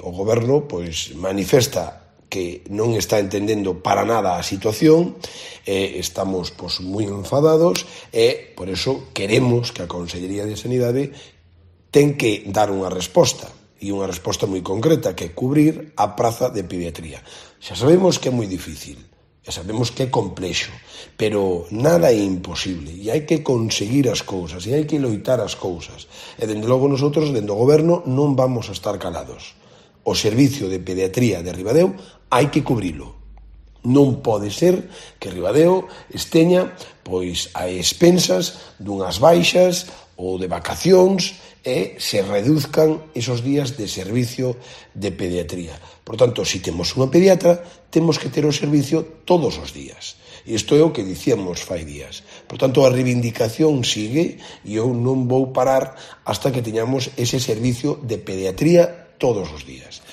o Goberno pois manifesta que non está entendendo para nada a situación, estamos moi enfadados e por eso queremos que a Consellería de Sanidade ten que dar unha resposta, e unha resposta moi concreta, que é cubrir a praza de pediatría. Xa sabemos que é moi difícil, e sabemos que é complexo, pero nada é imposible, e hai que conseguir as cousas, e hai que loitar as cousas. E, dende logo, nosotros, dende o Goberno, non vamos a estar calados. O servicio de pediatría de Ribadeo hai que cubrilo. Non pode ser que Ribadeo esteña pois a expensas dunhas baixas ou de vacacións e se reduzcan esos días de servicio de pediatría. Por tanto, se temos unha pediatra, temos que ter o servicio todos os días. Isto é o que dicíamos fai días. Por tanto, a reivindicación sigue e eu non vou parar hasta que teñamos ese servicio de pediatría todos os días.